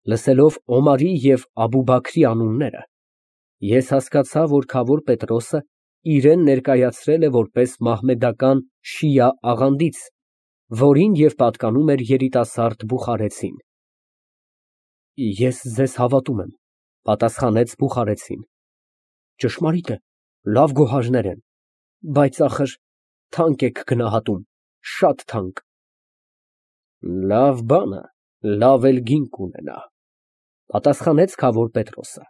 Լսելով Օմարի և Աբուբաքրի անունները, ես հասկացա, որ քավոր Պետրոսը իրան ներկայացրել է որպես մահմեդական շիա աղանդից, որին և պատկանում էր երիտասարդ բուխարեցին։ Ես ձեզ հավատում եմ, պատասխանեց բուխարեցին, ճշմարիտ է, լավ գոհարներ են, բայց ախր թանկ եք գնահատում, շատ թանկ։ Լավ բան է, լավ էլ գին կունենա, պատասխանեց քավոր Պետրոսը,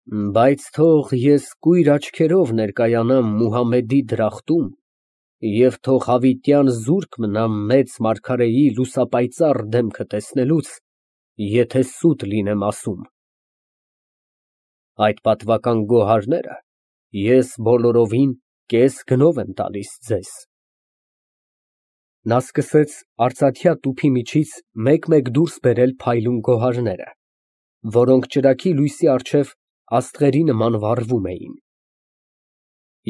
բայց թող ես կույր աչքերով ներկայանամ Մուհամմեդի դրախտում և թող հավիտյան զուրկ մնամ մեծ մարգարեի լուսապայծառ դեմքը տեսնելուց, եթե սուտ լինեմ ասում։ Այդ պատվական գոհարները ես բոլորովին կես գնով եմ տալիս ձեզ։ Նա սկսեց արծաթյա տուփի միջից մեկ֊մեկ դուրս բերել փայլուն գոհարները, որոնք ճրագի լույսի առջև աստղերի նման վառվում էին։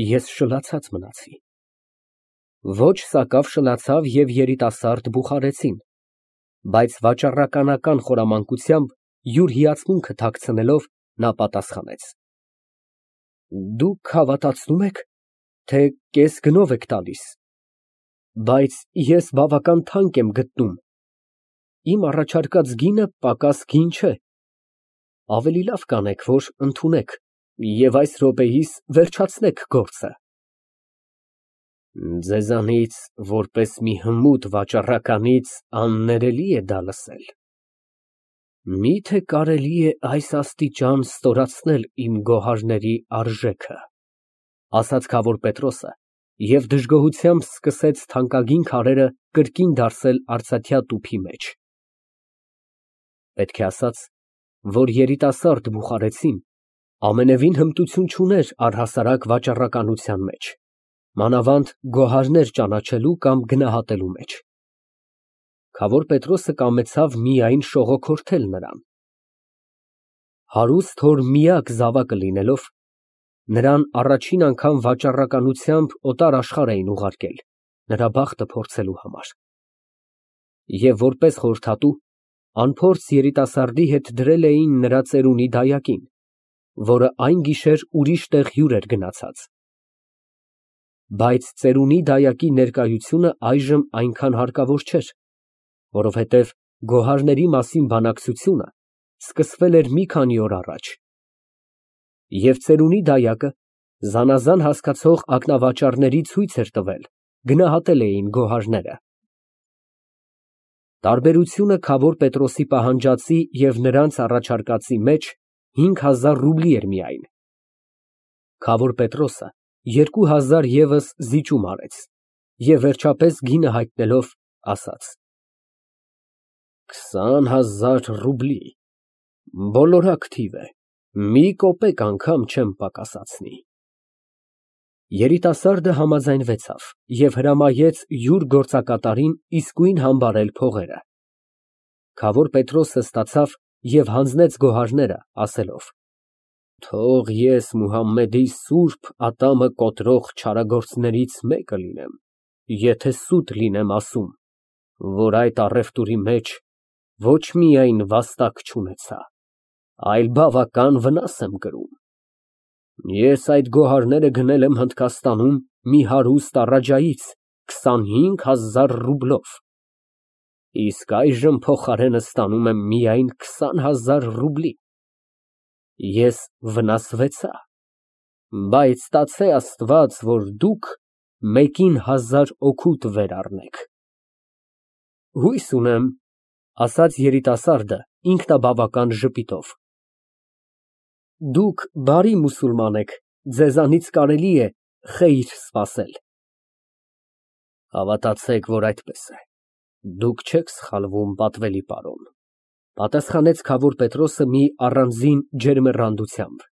Ես շլացած մնացի։ Ոչ սակավ շլացավ և երիտասարդ բուխարեցին, բայց վաճառականական խորամանկությամբ յուր հիացմունքը թաքցնելով, նա պատասխանեց. Դուք հավատացնու՞մ եք, թե կես գնով եք տալիս, բայց ես բավական թանկ եմ գտնում, իմ առաջարկած գինը պակաս գին չէ, ավելի լավ կանեք, որ ընդունեք և այս րոպեիս վերջացնեք գործը։ Ձեզանից, որպես մի հմուտ վաճառականից, աններելի է դա լսել։ Մի՞թե կարելի է այս աստիճան ստորացնել իմ գոհարների արժեքը, ասաց քավոր Պետրոսը և դժգոհությամբ սկսեց թանկագին քարերը կրկին դարսել արծաթյա տուփի մեջ։ Պետք է ասած, որ երիտասարդ բուխարեցին ամենևին հմտություն չուներ առհասարակ վաճառականության մեջ, մանավանդ գոհարներ ճանաչելու կամ գնահատելու մեջ։ Քավոր Պետրոսը կամեցավ միայն շողոքորթել նրան։ Հարուստ հոր միակ զավակը լինելով, նրան առաջին անգամ վաճառականությամբ օտար աշխարհ էին ուղարկել, նրա բախտը փորձելու համար։ Եվ որպես խորհրդատու, անփորձ երիտասարդի հետ դրել էին նրա ծերունի դայակին, որը այն գիշեր ուրիշ տեղ հյուր էր գնացած։ Բայց ծերունի դայակի ներկայությունը այժմ այնքան հարկավոր չէր, որովհետև գոհարների մասին բանակցությունը սկսվել էր մի քանի օր առաջ, և ծերունի դայակը զանազան հասկացող ակնավաճառների ցույց էր տվել, գնահատել էին գոհարները։ Տարբերությունը քավոր Պետրոսի պահանջածի և նրանց առաջարկածի մեջ 5000 ռուբլի էր միայն։ Քավոր Պետրոսը 2000 ևս զիջում արեց և վերջապես գինը հայտնելով, ասաց. 20000 ռուբլի, բոլորակ թիվ է, մի կոպեկ անգամ չեմ պակասեցնի։ Երիտասարդը համաձայնվեցավ և հրամայեց յուր գործակատարին իսկույն համբարել փողերը։ Քավոր Պետրոսը ստացավ և հանձնեց գոհարները, ասելով. Թող ես Մուհամմեդի սուրբ ատամը կոտրող չարագործներից մեկը լինեմ, եթե սուտ լինեմ ասում, որ այդ առևտուրի մեջ ոչ միայն վաստակ չունեցա, այլ բավական վնաս եմ կրում։ Ես այդ գոհարները գնել եմ Հնդկաստանում մի հարուստ առաջայից 25000 ռուբլով, իսկ այժմ փոխարենը ստանում եմ միայն 20000 ռուբլի։ Ես վնասվեցա, բայց ստացե Աստված, որ դուք մեկին 1000 օգուտ վեր առնեք։ Հույս ունեմ, ասաց երիտասարդը ինքնաբավական ժպիտով, դուք բարի մուսուլման եք, ձեզանից կարելի է խեյր սպասել։ Հավատացեք, որ այդպես է, դուք չեք սխալվում, պատվելի պարոն, պատասխանեց քավոր Պետրոսը մի առանձին ջերմեռանդությամբ։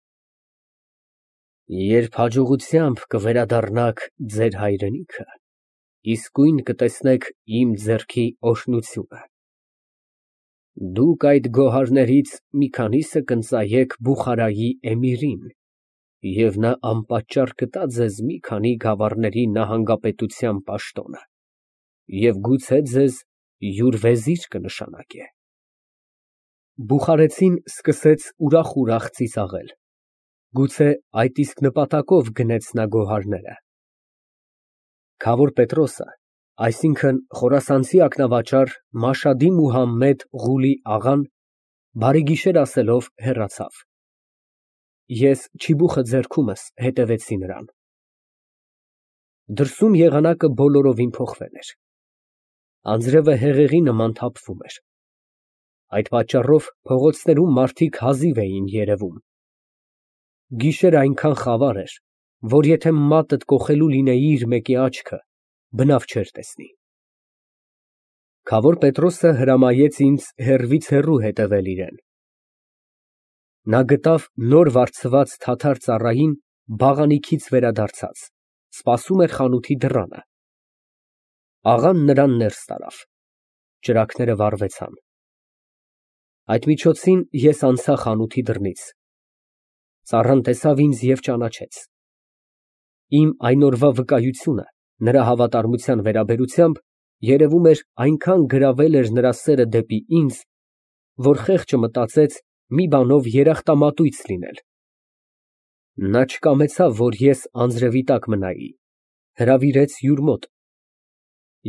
Երբ հաջողությամբ կվերադառնաք ձեր հայրենիքը, իսկույն կտեսնեք իմ ձեռքի օրհնությունը։ Դուք այդ գոհարներից մի քանիսը կընծայեք Բուխարայի էմիրին, և նա անպատճառ կտա ձեզ մի քանի գավառների նահանգապետության պաշտոնը և գուցե ձեզ յուր վեզիր կնշանակե։ Բուխարեցին սկսեց ուրախ ծիծաղել։ Գուցե այդ իսկ նպատակով գնեց նա գոհարները։ Քավոր Պետրոսը, այսինքն խորասանցի ակնավաճառ Մաշհադի Մուհամմեդ Ղուլի աղան, բարեգիշեր ասելով հեռացավ։ Ես չիբուխը ձեռքումս հետևեցի նրան։ Դրսում եղանակը բոլորովին փոխվել էր։ Անձրևը հեղեղի նման թափվում էր։ Այդ պատճառով փողոցներում մարդիկ հազիվ էին երևում։ Գիշերն այնքան խավար էր, որ եթե մատդ կոխելու լինեիր մեկի աչքը, բնավ չէր տեսնի։ Քավոր Պետրոսը հրամայեց ինձ հեռվից հեռու հետևել իրեն։ Նա գտավ նոր վարձված թաթար ծառային բաղանիքից վերադարձած, սպասում էր խանութի դռանը։ Աղան նրան ներս տարավ։ Ճրագները վառվեցան։ Այդ միջոցին ես անցա խանութի դռնից։ Ծառան տեսավ ինձ և ճանաչեց։ Իմ այն օրվա վկայությունը նրա հավատարմության վերաբերությամբ, երևում էր, այնքան գրավել էր նրա սերը դեպի ինձ, որ խեղճը մտածեց մի բանով երախտամատույց լինել։ Նա չկամեցավ, որ ես անձրևի տակ մնայի, հրավիրեց յուր մոտ։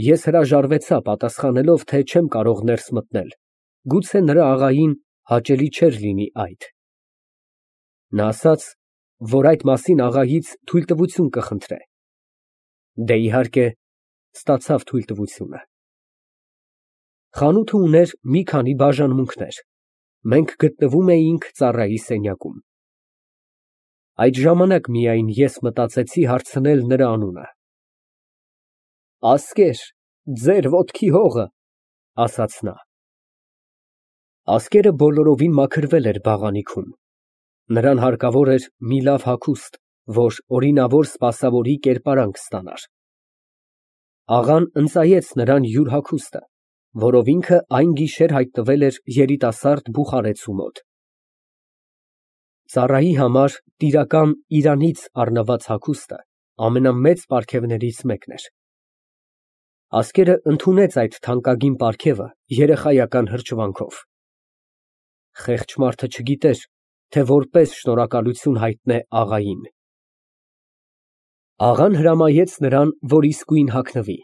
Ես հրաժարվեցա, պատասխանելով, թե չեմ կարող ներս մտնել, գուցե նրա աղային հաճելի չէր լինի այդ։ Նա ասաց, որ այդ մասին աղայից թույլտվություն կխնդրե։ Դե, իհարկե, ստացավ թույլտվությունը։ Խանութը ուներ մի քանի բաժանմունքներ։ Մենք գտնվում էինք ծառայի սենյակում։ Այդ ժամանակ միայն ես մտածեցի հարցնել նրա անունը։ Ասկեր, ձեր ոտքի հողը, ասաց նա։ Ասկերը բոլորովին մաքրվել էր բաղանիքում։ Նրան հարկավոր էր մի լավ հագուստ, որ օրինավոր սպասավորի կերպարանք ստանար։ Աղան ընծայեց նրան յուր հագուստը, որով ինքը այն գիշեր հայտնվել էր երիտասարդ բուխարեցու մոտ։ Ծառայի համար տիրական Իրանից առնված հագուստը ամենամեծ պարգևներից մեկն էր։ Ասկերը ընդունեց այդ թանկագին պարգևը երեխայական հրճվանքով։ Խեղճ մարդը չգիտեր, թե որպես շնորհակալություն հայտնե աղային։ Աղան հրամայեց նրան, որ իսկույն հագնվի։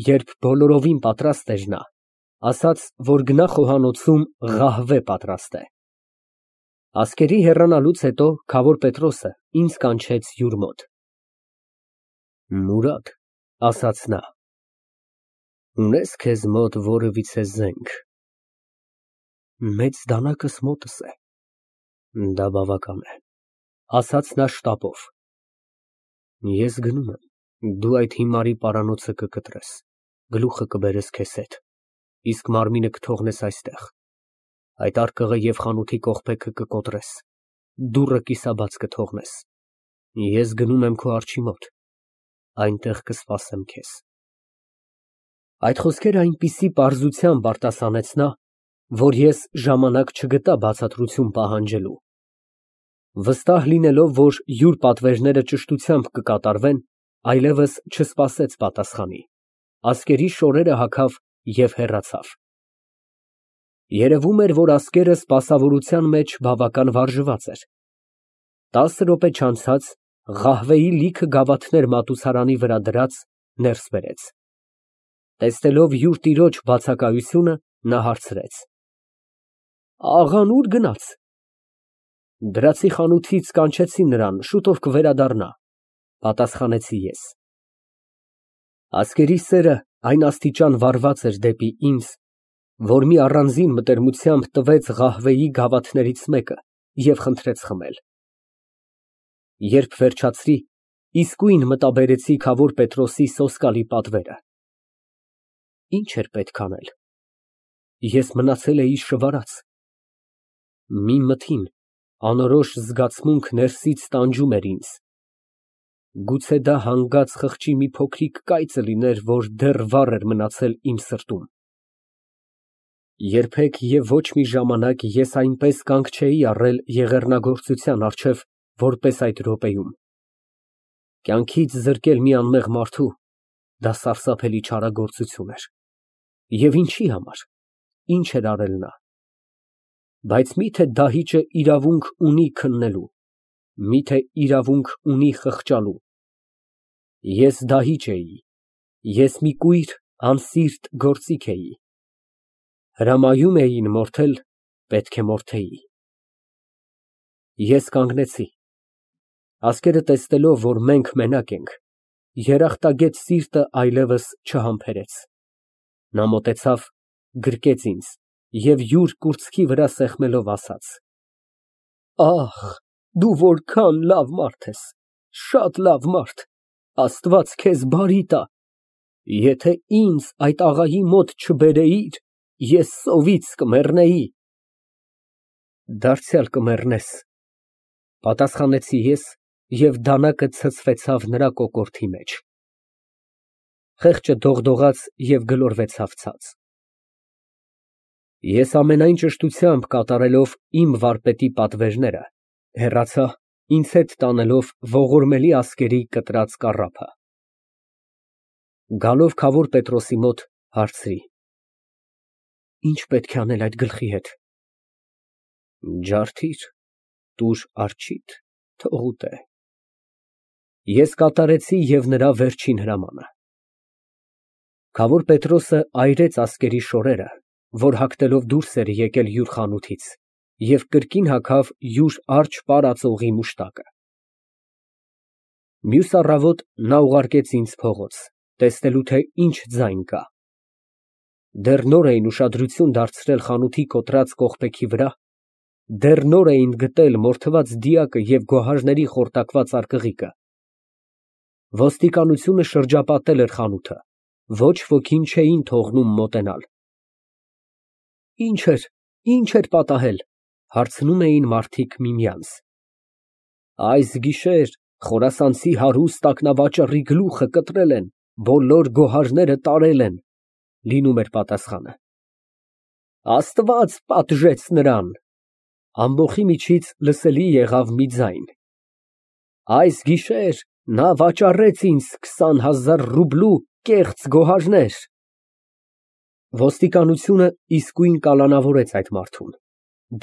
Երբ բոլորովին պատրաստ էր նա, ասաց, որ գնա խոհանոցում ղահվե պատրաստե։ Ասկերի հեռանալուց հետո քավոր Պետրոսը ինձ կանչեց յուր մոտ։ Մուրադ, ասաց նա, ունե՞ս քեզ մոտ որևիցե զենք։ Մեծ դանակս մոտս է։ Դա բավական է, ասաց նա շտապով։ Ես գնում եմ, դու այդ հիմարի պարանոցը կկտրես, գլուխը կբերես քեզ հետ, իսկ մարմինը կթողնես այստեղ, այդ արկղը և խանութի կողպեքը կկոտրես, դուռը կիսաբաց կթողնես։ Ես գնում եմ քո արջի մոտ, այնտեղ կսպասեմ քեզ։ Այդ խոսքերը այնպիսի պարզությամբ արտասանեց նա, որ ես ժամանակ չգտա բացատրություն պահանջելու։ Վստահ լինելով, որ յուր պատվերները ճշտությամբ կկատարվեն, այլևս չսպասեց պատասխանի, ասկերի շորերը հագավ և հեռացավ։ Երևում էր, որ ասկերը սպասավորության մեջ բավական վարժված էր։ 10 րոպե չանցած ղահվեի լիքը գավաթներ մատուցարանի վրա դրած, ներս բերեց։ Տեսնելով յուր տիրոջ բացակայությունը, նա հարցրեց. Աղան ուր գնաց։ Դրացի խանութից կանչեցի նրան, շուտով կվերադառնա, պատասխանեցի ես։ Ասկերի սերը այն աստիճան վառված էր դեպի ինձ, որ մի առանձին մտերմությամբ տվեց ղահվեի գավաթներից մեկը և խնդրեց խմել։ Երբ վերջացրի, իսկույն մտաբերեցի քավոր Պետրոսի սոսկալի պատվերը։ Ինչ էր պետք անել։ Ես մնացել էի շվարած։ Մի մթին, անորոշ զգացմունք ներսից տանջում էր ինձ։ Գուցե դա հանգած խղճի մի փոքրիկ կայծը լիներ, որ դեռ վառ էր մնացել իմ սրտում։ Երբեք և ոչ մի ժամանակ ես այնպես կանգ չէի առել եղեռնագործության առջև, որպես այդ րոպեում։ Կյանքից զրկել մի անմեղ մարդու, դա սարսափելի չարագործություն էր։ Եվ ինչի համար, ինչ էր արել նա։ Բայց միթե դահիճը իրավունք ունի քննելու, միթե իրավունք ունի խղճալու։ Ես դահիճ էի, ես մի կույր անսիրտ գործիք էի, հրամայում էին մորթել, պետք է մորթեի։ Ես կանգնեցի, ազգերը տեսնելով, որ մենք մենակ ենք, երախտագետ սիրտը այլևս չհամբերեց։ Նա մոտեցավ, գրկեց ինձ և յուր կուրծքի վրա սեղմելով ասաց. «Ախ, դու որքան լավ մարդ ես, շատ լավ մարդ, Աստված քեզ բարի տա, եթե ինձ այդ աղայի մոտ չբերեիր, ես սովից կմեռնեի»։ Դարձյալ կմեռնես, ֊ պատասխանեցի ես և դանակը ցցվեցավ նրա կոկորդի մեջ։ Խեղճը դողդողաց և գլորվեցավ ցած։ Ես ամենայն ճշտությամբ կատարելով իմ վարպետի պատվերները, հեռացա, ինձ հետ տանելով ողորմելի ասկերի կտրած կառափը։ Գալով քավոր Պետրոսի մոտ, հարցրի. «Ի՞նչ պետք է անել այդ գլխի հետ»։ Ջարդիր, տուր արջիդ, թող ուտե։ Ես կատարեցի և նրա վերջին հրամանը։ Քավոր Պետրոսը այրեց ասկերի շորերը, որ հագնելով դուրս էր եկել յուր խանութից, և կրկին հագավ յուր արջը պարածողի մուշտակը։ Մյուս առավոտ նա ուղարկեց ինձ փողոց, տեսնելու թե ինչ ձայն կա։ Դեռ նոր էին ուշադրություն դարձրել խանութի կոտրած կողպեքի վրա, դեռ նոր էին գտել մորթված դիակը և գոհարների խորտակված արկղիկը։ Ոստիկանությունը շրջապատել էր խանութը, ոչ ոքին չէին թողնում մոտենալ։ Ինչ էր պատահել, ֊ հարցնում էին մարդիկ միմյանց։ Այս գիշեր խորասանցի հարուստ ակնավաճառի գլուխը կտրել են, բոլոր գոհարները տարել են, ֊ լինում էր պատասխանը։ Աստված պատժեց նրան։ Ամբոխի միջից լսելի եղավ մի ձայն. Այս գիշեր նա վաճառեց ինձ 20,000 ռուբլու կեղծ գոհարներ։ Ոստիկանությունը իսկույն կալանավորեց այդ մարդուն։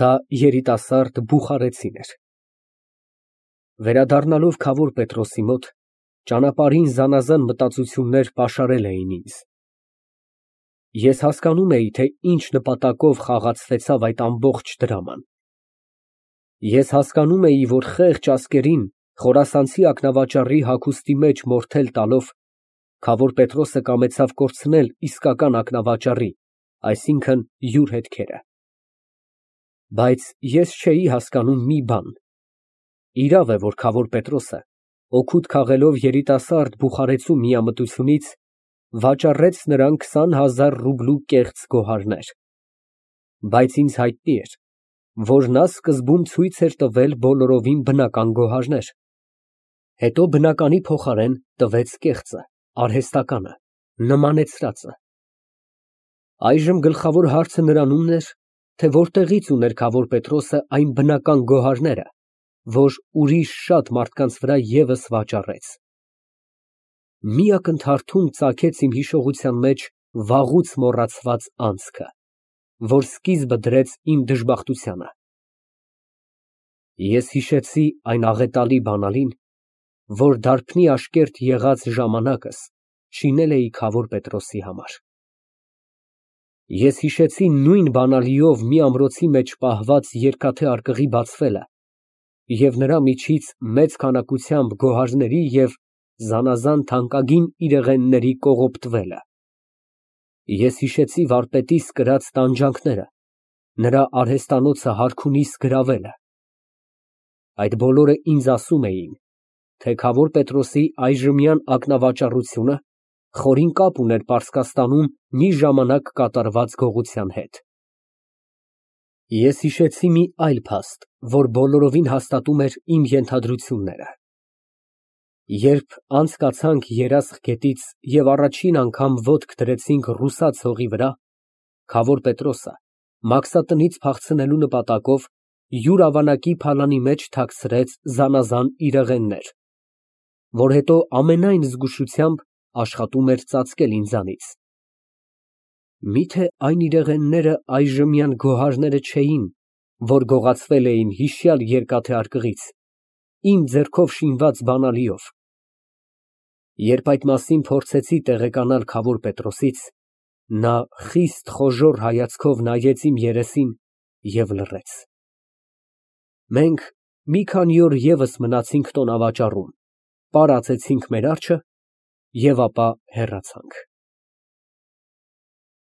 Դա երիտասարդ բուխարեցին էր։ Վերադառնալով քավոր Պետրոսի մոտ, ճանապարհին զանազան մտածություններ պաշարել էին ինձ։ Ես հասկանում էի, թե ինչ նպատակով խաղացվեցավ այդ ամբողջ դրաման։ Ես հասկանում էի, որ խեղճ ասկերին խորասանցի ակնավաճառի հագուստի մեջ մորթել տալով, քավոր Պետրոսը կամեցավ կորցնել իսկական ակնավաճառի, այսինքն՝ յուր հետքերը։ Բայց ես չէի հասկանում մի բան. իրավ է, որ քավոր Պետրոսը, օգուտ քաղելով երիտասարդ բուխարեցու միամտությունից, վաճառեց նրան 20,000 ռուբլու կեղծ գոհարներ։ Բայց ինձ հայտնի էր, որ նա սկզբում ցույց էր տվել բոլորովին բնական գոհարներ, հետո բնականի փոխարեն տվեց կեղծը, արհեստականը, նմանեցրածը։ Այժմ գլխավոր հարցը նրանումն էր, թե որտեղից ուներ քավոր Պետրոսը այն բնական գոհարները, որ ուրիշ շատ մարդկանց վրա ևս վաճառեց։ Մի ակնթարթում ծագեց իմ հիշողության մեջ վաղուց մոռացված անցքը, որ սկիզբը դրեց իմ դժբախտությանը։ Ես հիշեցի այն աղետալի բանալին, որ դարբնի աշկերտ եղած ժամանակս շինել էի քավոր Պետրոսի համար։ Ես հիշեցի նույն բանալիով մի ամրոցի մեջ պահված երկաթե արկղի բացվելը և նրա միջից մեծ քանակությամբ գոհարների և զանազան թանկագին իրեղենների կողոպտվելը։ Ես հիշեցի վարպետիս կրած տանջանքները, նրա արհեստանոցը հարքունիս գրավելը։ Այդ բոլորը ինձ ասում էին, թե քավոր Պետրոսի այժմյան ակնավաճառությունը խորին կապ ուներ Պարսկաստանում մի ժամանակ կատարված գողության հետ։ Ես հիշեցի մի այլ փաստ, որ բոլորովին հաստատում էր իմ ենթադրությունները։ Երբ անցկացանք Երասխ գետից և առաջին անգամ ոտք դրեցինք ռուսաց հողի վրա, քավոր Պետրոսը մաքսատնից փախցնելու նպատակով յուր ավանակի փալանի մեջ թաքցրեց զանազան իրեղեններ, որ հետո ամենայն զգուշությամբ աշխատում էր ծածկել ինձանից։ Միթե այն իրեղենները այժմյան գոհարները չէի՞ն, որ գողացվել է իմ հիշյալ երկաթե արկղից, իմ ձեռքով շինված բանալիով։ Երբ այդ մասին փորձեցի տեղեկանալ Քավուր Պետրոսից, նա խիստ խոժոռ հայացքով նայեց իմ երեսին և լռեց։ Մենք մի քանի օր ևս մնացինք տոնավաճառում, պարացեցինք մեր արջը և ապա հեռացանք։